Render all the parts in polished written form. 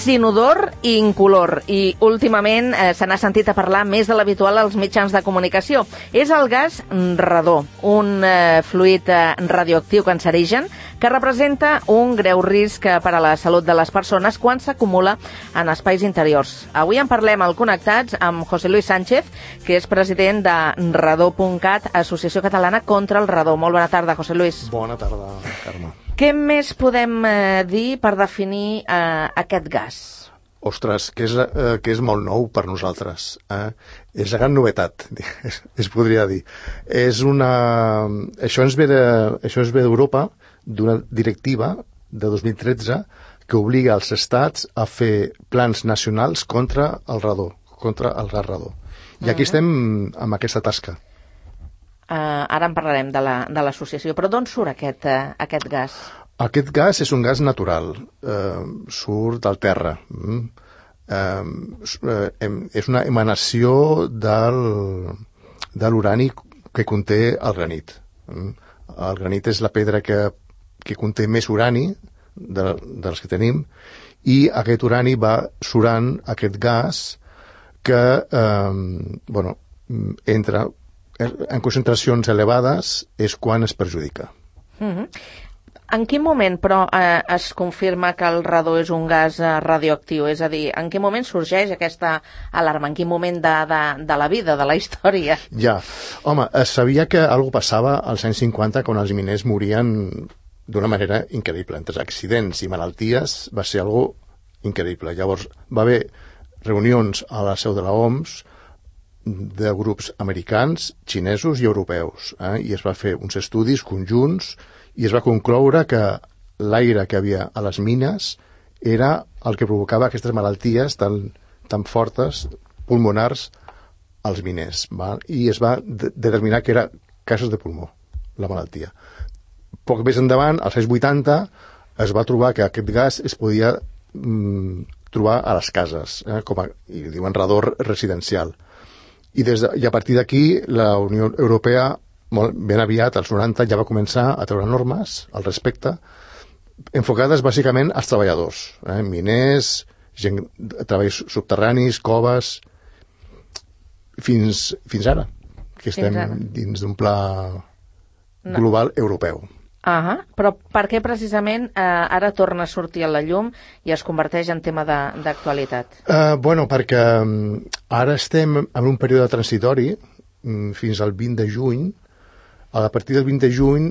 és inodor i incolor i últimament se n'ha sentit a parlar més de l'habitual als mitjans de comunicació. És el gas radó, un fluid radioactiu cancerigen que representa un greu risc per a la salut de les persones quan s'acumula en espais interiors. Avui en parlem al Connectats amb José Luis Sánchez, que és president de Radó.cat, Associació Catalana contra el Radó. Molt bona tarda, José Luis. Bona tarda, Carme. Què més podem dir per definir aquest gas? Ostres, que és molt nou per nosaltres. És la gran novetat, es podria dir. Això ens ve d'Europa, d'una directiva de 2013 que obliga els estats a fer plans nacionals contra el radó, contra el gas radó. I aquí estem amb aquesta tasca. Ara en parlarem de l'associació, però d'on surt aquest gas? Aquest gas és un gas natural, surt del terra. És una emanació de l'urani que conté el granit. El granit és la pedra que conté més urani dels que tenim, i aquest urani va surant aquest gas que entra en concentracions elevades, és quan es perjudica. En quin moment, però, es confirma que el radó és un gas radioactiu? És a dir, en quin moment sorgeix aquesta alarma? En quin moment de la vida, de la història? Ja. Home, es sabia que alguna passava als anys 50 quan els miners morien d'una manera increïble. Entre accidents i malalties va ser algo increïble. Llavors va haver reunions a la seu de la OMS de grups americans, xinesos i europeus, i es va fer uns estudis conjunts i es va concloure que l'aire que havia a les mines era el que provocava aquestes malalties tan fortes, pulmonars, als miners. I es va determinar que era casos de pulmó, la malaltia. Poc més endavant, als anys 80, es va trobar que aquest gas es podia trobar a les cases, i diuen radó residencial. I a partir d'aquí la Unió Europea ben aviat, als 90, ja va començar a treure normes al respecte, enfocades bàsicament als treballadors, miners, gent de treballs subterranis, coves, fins ara, que estem dins d'un pla global europeu. Però per què precisament ara torna a sortir a la llum i es converteix en tema d'actualitat? Perquè ara estem en un període transitori fins al 20 de juny. A partir del 20 de juny,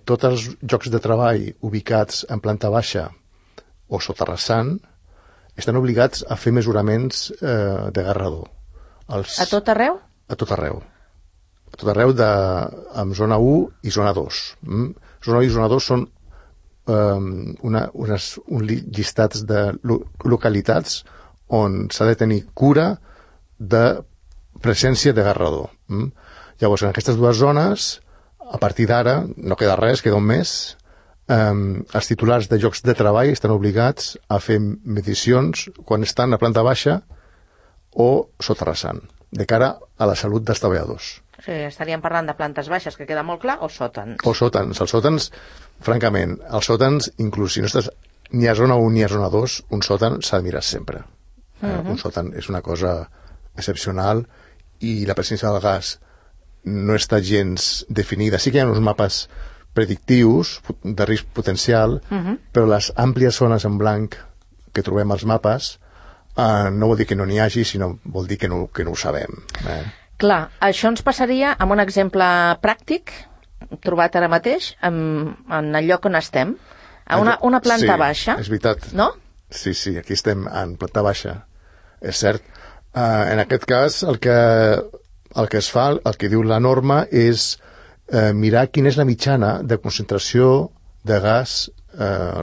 tots els llocs de treball ubicats en planta baixa o soterrassant estan obligats a fer mesuraments de gas radó. A tot arreu? A tot arreu. A tot arreu amb zona 1 i zona 2. Zona 1 i zona 2 són uns llistats de localitats on s'ha de tenir cura de presència de gas radó. Llavors, en aquestes dues zones, a partir d'ara, no queda res, queda un mes, els titulars de llocs de treball estan obligats a fer medicions quan estan a planta baixa o soterrassant, de cara a la salut dels treballadors. Sí, estaríem parlant de plantes baixes, que queda molt clar, o sòtans? O sòtans. Els sòtans, francament, inclús si no estàs ni a zona 1 ni a zona 2, un sòtan s'ha de mirar sempre. Un sòtan és una cosa excepcional i la presència del gas no està gens definida. Sí que hi ha uns mapes predictius de risc potencial, però les àmplies zones en blanc que trobem als mapes no vol dir que no n'hi hagi, sinó vol dir que no ho sabem. Clar, això ens passaria amb un exemple pràctic trobat ara mateix en el lloc on estem, a una planta baixa. Sí, és veritat. No? Sí, aquí estem en planta baixa, és cert. En aquest cas, el que es fa, el que diu la norma, és mirar quina és la mitjana de concentració de gas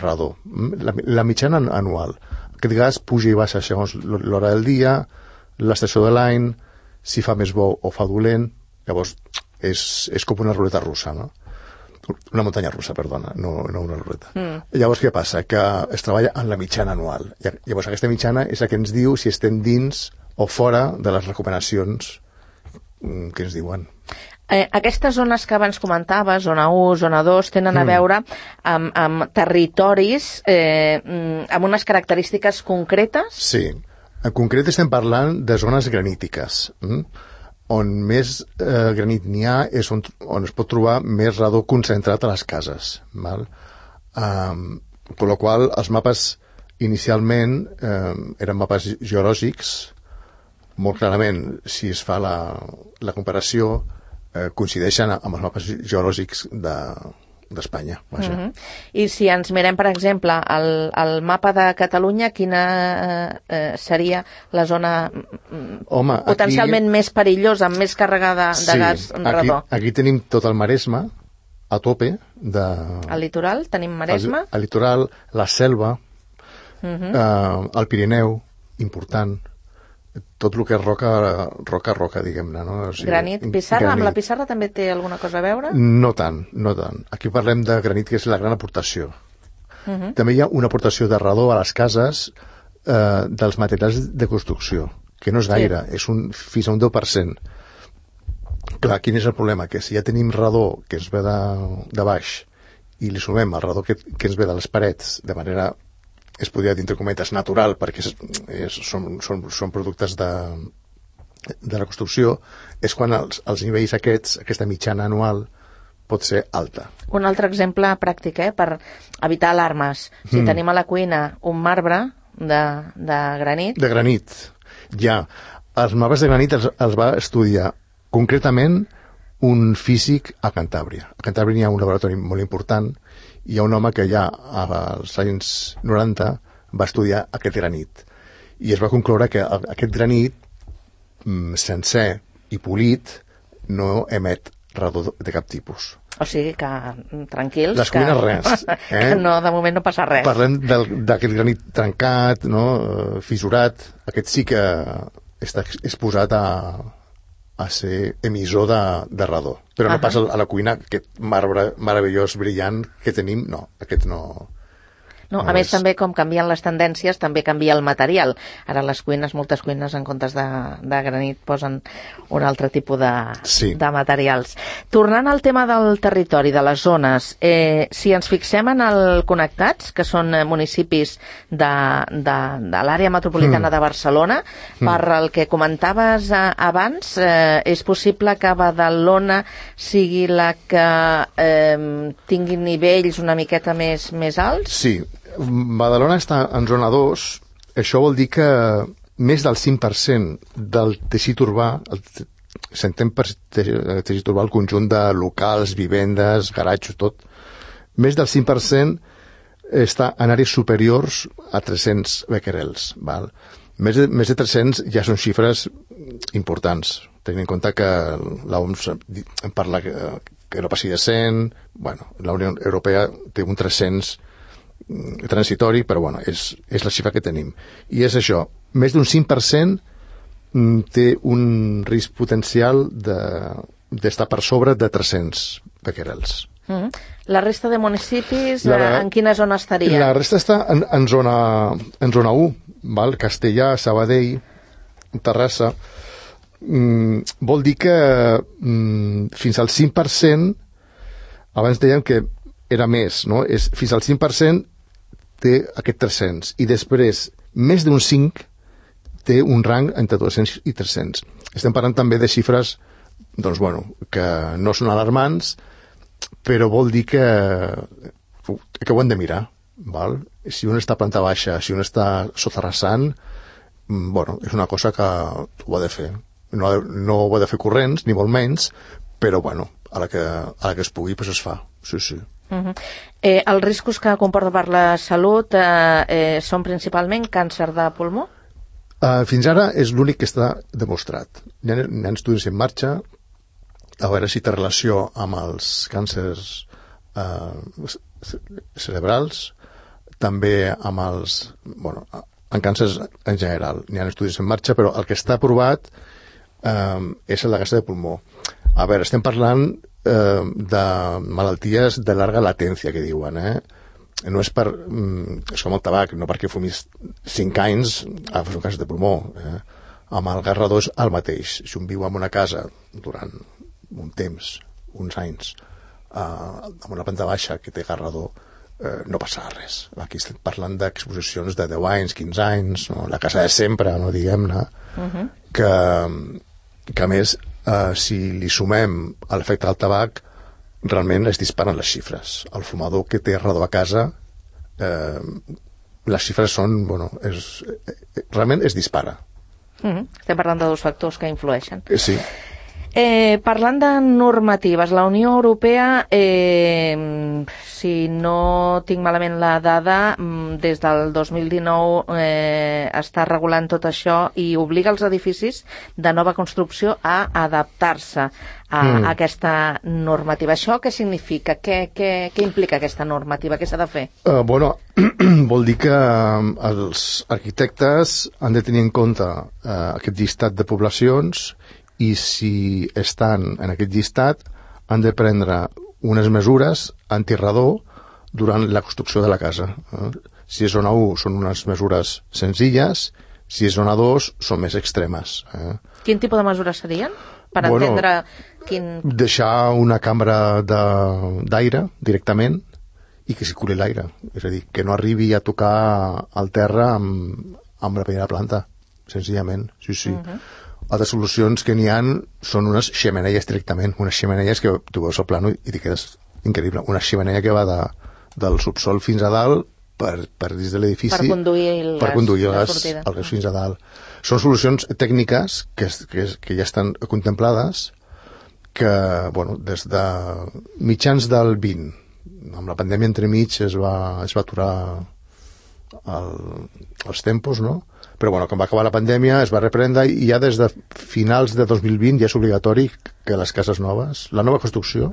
radó. La mitjana anual. Aquest gas puja i baixa segons l'hora del dia, l'estació de l'any, si fa més bo o fa dolent. Llavors, és com una ruleta russa, no? Una muntanya russa, perdona, no una ruleta. Llavors, què passa? Que es treballa en la mitjana anual. Llavors, aquesta mitjana és la que ens diu si estem dins o fora de les recomanacions que ens diuen. Aquestes zones que abans comentaves, zona 1, zona 2, tenen a veure amb territoris amb unes característiques concretes? Sí. En concret estem parlant de zones granítiques. On més granit n'hi ha és on es pot trobar més radó concentrat a les cases. Val? Per la qual els mapes inicialment eren mapes geològics. Molt clarament, si es fa la comparació, coincideixen amb els mapes geològics d'Espanya. I si ens mirem, per exemple, el mapa de Catalunya, quina seria la zona potencialment més perillosa, amb més càrrega de gas radó? Aquí tenim tot el Maresme, a tope. Al litoral tenim Maresme? Al litoral, la Selva, el Pirineu, important, tot el que és roca, diguem-ne. No? O sigui, granit, pissarra? Amb la pissarra també té alguna cosa a veure? No tant. Aquí parlem de granit, que és la gran aportació. També hi ha una aportació de radó a les cases dels materials de construcció, que no és gaire, és fins a un 10%. Clar, quin és el problema? Que si ja tenim radó que ens ve de baix i li sumem el radó que ens ve de les parets de manera, es podria dir entre cometes, natural, perquè són productes de la construcció, és quan els nivells aquesta mitjana anual pot ser alta. Un altre exemple pràctic, per evitar alarmes. Si tenim a la cuina un marbre de granit... De granit, ja. Els marbres de granit els va estudiar concretament un físic a Cantàbria. A Cantàbria hi ha un laboratori molt important. Hi ha un home que ja als anys 90 va estudiar aquest granit i es va concloure que aquest granit sencer i polit no emet radó de cap tipus. O sigui que tranquils, les cuines res. Que no, de moment no passa res. Parlem d'aquest granit trencat, no? Fissurat. Aquest sí que està exposat a ser emissor de radó. Però no passa a la cuina, aquest marbre meravellós, brillant que tenim, no, aquest no... No, a més, també, com canvien les tendències, també canvia el material. Ara les cuines, moltes cuines, en comptes de granit, posen un altre tipus de materials. Tornant al tema del territori, de les zones, si ens fixem en el Connectats, que són municipis de l'àrea metropolitana de Barcelona, per el que comentaves abans, és possible que Badalona sigui la que tingui nivells una miqueta més alts? Sí. Badalona està en zona 2, això vol dir que més del 5% del teixit urbà, s'entén per teixit urbà el conjunt de locals, vivendes, garatges, tot, més del 5% està en àrees superiors a 300 becquerels. Val? Més de 300 ja són xifres importants, tenint en compte que l'OMS parla que no passi de 100, bueno, la Unió Europea té un 300 transitori, però bueno, és la xifra que tenim. I és això, més d'un 5% té un risc potencial d'estar per sobre de 300 becquerels. La resta de municipis, en quina zona estaria? La resta està en zona 1, val? Castellà, Sabadell, Terrassa. Vol dir que fins al 5%, abans dèiem que era més, no? Fins al 5% té aquest 300 i després més d'un 5 té un rang entre 200 i 300. Estem parlant també de xifres doncs, bueno, que no són alarmants, però vol dir que ho hem de mirar. Val? Si un està a planta baixa, si un està soterrassant, bueno, és una cosa que ho ha de fer. No ho ha de fer corrents, ni molt menys, però bueno, a la que es pugui, doncs es fa. Sí. Els riscos que comporta per la salut són principalment càncer de pulmó? Fins ara és l'únic que està demostrat. Hi ha estudis en marxa a veure si té relació amb els càncers cerebrals, també amb en càncers en general. Hi ha estudis en marxa, però el que està aprovat és el de càncer de pulmó. A veure, estem parlant de malalties de llarga latència, que diuen, no és és com el tabac, no perquè fumis 5 anys fas un càncer de pulmó. Amb el gas radó és el mateix. Si un viu en una casa durant un temps, uns anys, amb una planta baixa que té garrador, no passava res. Aquí estem parlant d'exposicions de 10 anys, 15 anys, no? La casa de sempre, no, diguem-ne, que a més, si li sumem a l'efecte del tabac, realment es disparen les xifres. El fumador que té garrador a casa, les xifres són, realment es dispara. Estem parlant de dos factors que influeixen. Sí. Parlant de normatives, la Unió Europea, si no tinc malament la dada, des del 2019 està regulant tot això i obliga els edificis de nova construcció a adaptar-se a aquesta normativa. Això què significa? Què implica aquesta normativa? Què s'ha de fer? Vol dir que els arquitectes han de tenir en compte aquest llistat de poblacions i si estan en aquest llistat han de prendre unes mesures antirrador durant la construcció de la casa. Si és zona 1 són unes mesures senzilles, si és zona 2 són més extremes. Quin tipus de mesures serien? Per entendre quin... Deixar una cambra d'aire directament i que circuli l'aire. És a dir, que no arribi a tocar el terra amb la primera planta, senzillament. Sí. Altres solucions que n'hi ha són unes xemeneies directament, unes xemeneies que tu veus al plano i t'hi quedes increïble. Una xemeneia que va del subsol fins a dalt per dins de l'edifici per conduir el gas fins a dalt. Són solucions tècniques que ja estan contemplades que, des de mitjans del 20, amb la pandèmia entremig es va aturar els tempos, no? Però quan va acabar la pandèmia es va reprendre i ja des de finals de 2020 ja és obligatori que les cases noves, la nova construcció,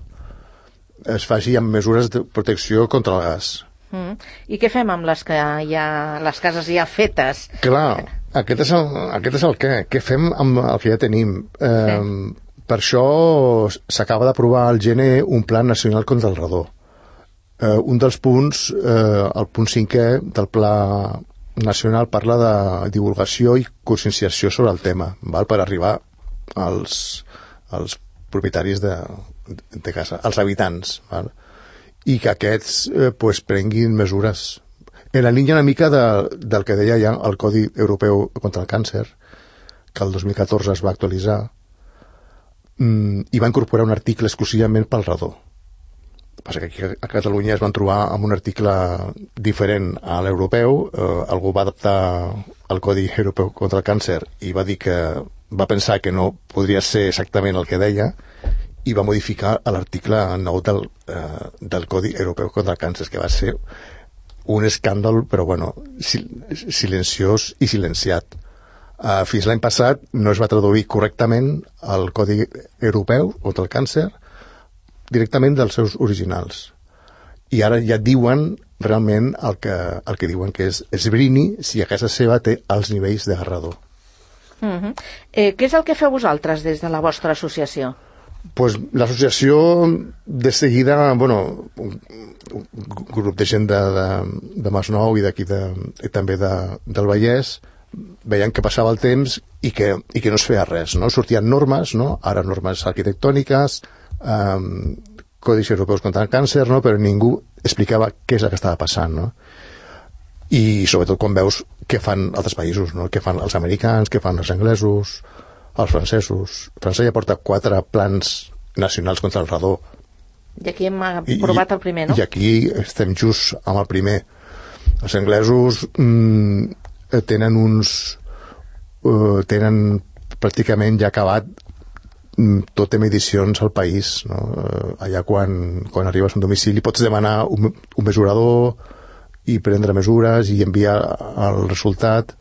es faci amb mesures de protecció contra el gas. I què fem amb les cases ja fetes? Clar, aquest és el què. Què fem amb el que ja tenim? Per això s'acaba d'aprovar al gener un Pla Nacional contra el Radó. Un dels punts, el punt 5è del Pla Nacional, parla de divulgació i conscienciació sobre el tema, per arribar als propietaris de casa, als habitants, i que aquests prenguin mesures. En la línia una mica del que deia ja el Codi Europeu contra el Càncer, que el 2014 es va actualitzar, i va incorporar un article exclusivament pel radó. Passa que aquí a Catalunya es van trobar amb un article diferent a l'europeu, algú va adaptar el Codi Europeu contra el Càncer i va dir que va pensar que no podria ser exactament el que deia i va modificar l'article 9 del Codi Europeu contra el Càncer, que va ser un escàndol, però silenciós i silenciat. Fins l'any passat no es va traduir correctament el Codi Europeu contra el Càncer directament dels seus originals. I ara ja diuen realment el que diuen, que és esbrini si a casa seva té els nivells de garrador. Què és el que feu vosaltres des de la vostra associació? L'associació de seguida, un grup de gent de Masnou i d'aquí també del Vallès, veien que passava el temps i que no es feia res, no? Sortien normes, no? Ara normes arquitectòniques, codis europeus contra el càncer, no? Però ningú explicava què és el que estava passant, no? I sobretot quan veus què fan altres països, no? Què fan els americans, què fan els anglesos, els francesos. França ja porta 4 plans nacionals contra el radó. I aquí hem aprovat el primer, no? I aquí estem just amb el primer. Els anglesos tenen pràcticament ja acabat tot en medicions al país, no? Allà quan arribes a un domicili pots demanar un mesurador i prendre mesures i enviar el resultat,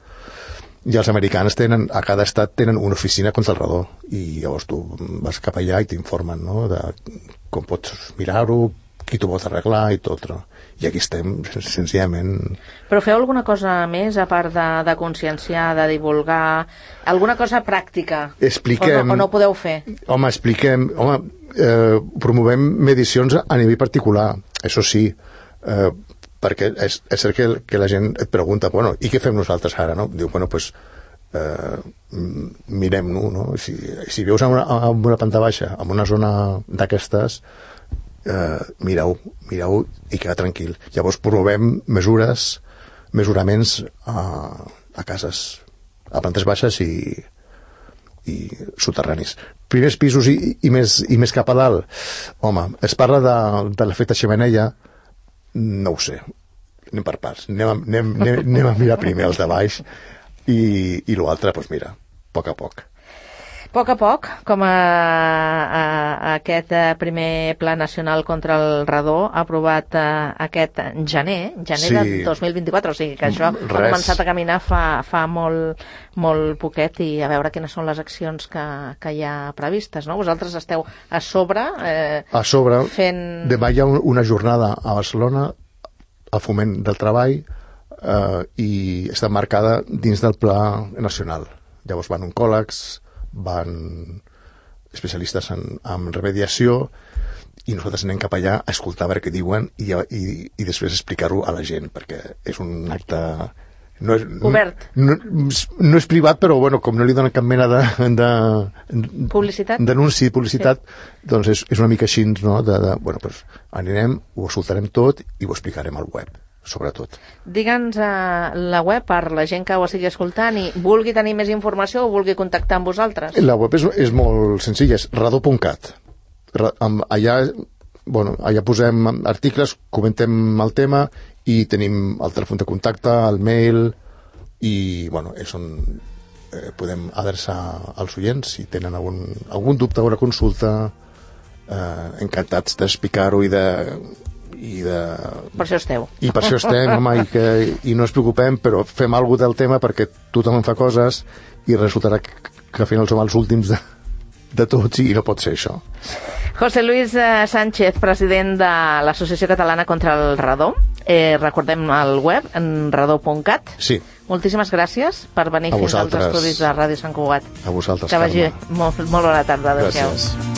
i els americans a cada estat tenen una oficina contra el radó i llavors tu vas cap allà i t'informen, no? De com pots mirar-ho, qui t'ho pot arreglar i tot, no? I aquí estem senzillament... Però feu alguna cosa més a part de conscienciar, de divulgar, alguna cosa pràctica? Expliquem... O no podeu fer? Expliquem... promovem medicions a nivell particular, això sí, perquè és cert que la gent et pregunta, i què fem nosaltres ara, no? Diu, mirem-ho, no? Si veus en una planta baixa, en una zona d'aquestes, mireu i queda tranquil. Llavors provem mesuraments a cases, a plantes baixes i soterranis. Primers pisos i més cap a dalt, home, es parla de l'efecte xemeneia, no ho sé, anem per parts, anem a mirar primer els de baix i l'altre, doncs mira, a poc. A poc, com aquest primer Pla Nacional contra el Radó aprovat aquest gener de 2024, o sigui que això ha començat a caminar fa molt poquet, i a veure quines són les accions que hi ha previstes, no? Vosaltres esteu a sobre fent... Demà hi ha una jornada a Barcelona al Foment del Treball i està marcada dins del Pla Nacional. Llavors van oncòlegs, van especialistes en remediació, i nosaltres anem cap allà a escoltar a veure què diuen i després explicar-ho a la gent, perquè és un acte obert. No és privat, però bueno, com no li donen cap mena de publicitat, publicitat, doncs és una mica així, no? Bueno, doncs anirem, ho escoltarem tot i ho explicarem al web, sobretot. Digue'ns la web per la gent que ho estigui escoltant i vulgui tenir més informació o vulgui contactar amb vosaltres. La web és molt senzilla, és radó.cat. Allà posem articles, comentem el tema i tenim el telèfon de contacte, el mail, i bueno, és on podem adreçar als oients si tenen algun dubte o una consulta. Encantats d'explicar-ho per això esteu. I per això estem, home, i no ens preocupem, però fem alguna cosa del tema perquè tothom en fa coses i resultarà que al final som els últims de tots i no pot ser això. José Luis Sánchez, president de l'Associació Catalana contra el Radó. Recordem el web, radó.cat. Sí. Moltíssimes gràcies per venir fins als estudis de Ràdio Sant Cugat. A vosaltres, que vagi molt bona tarda. Adéu-siau. Gràcies.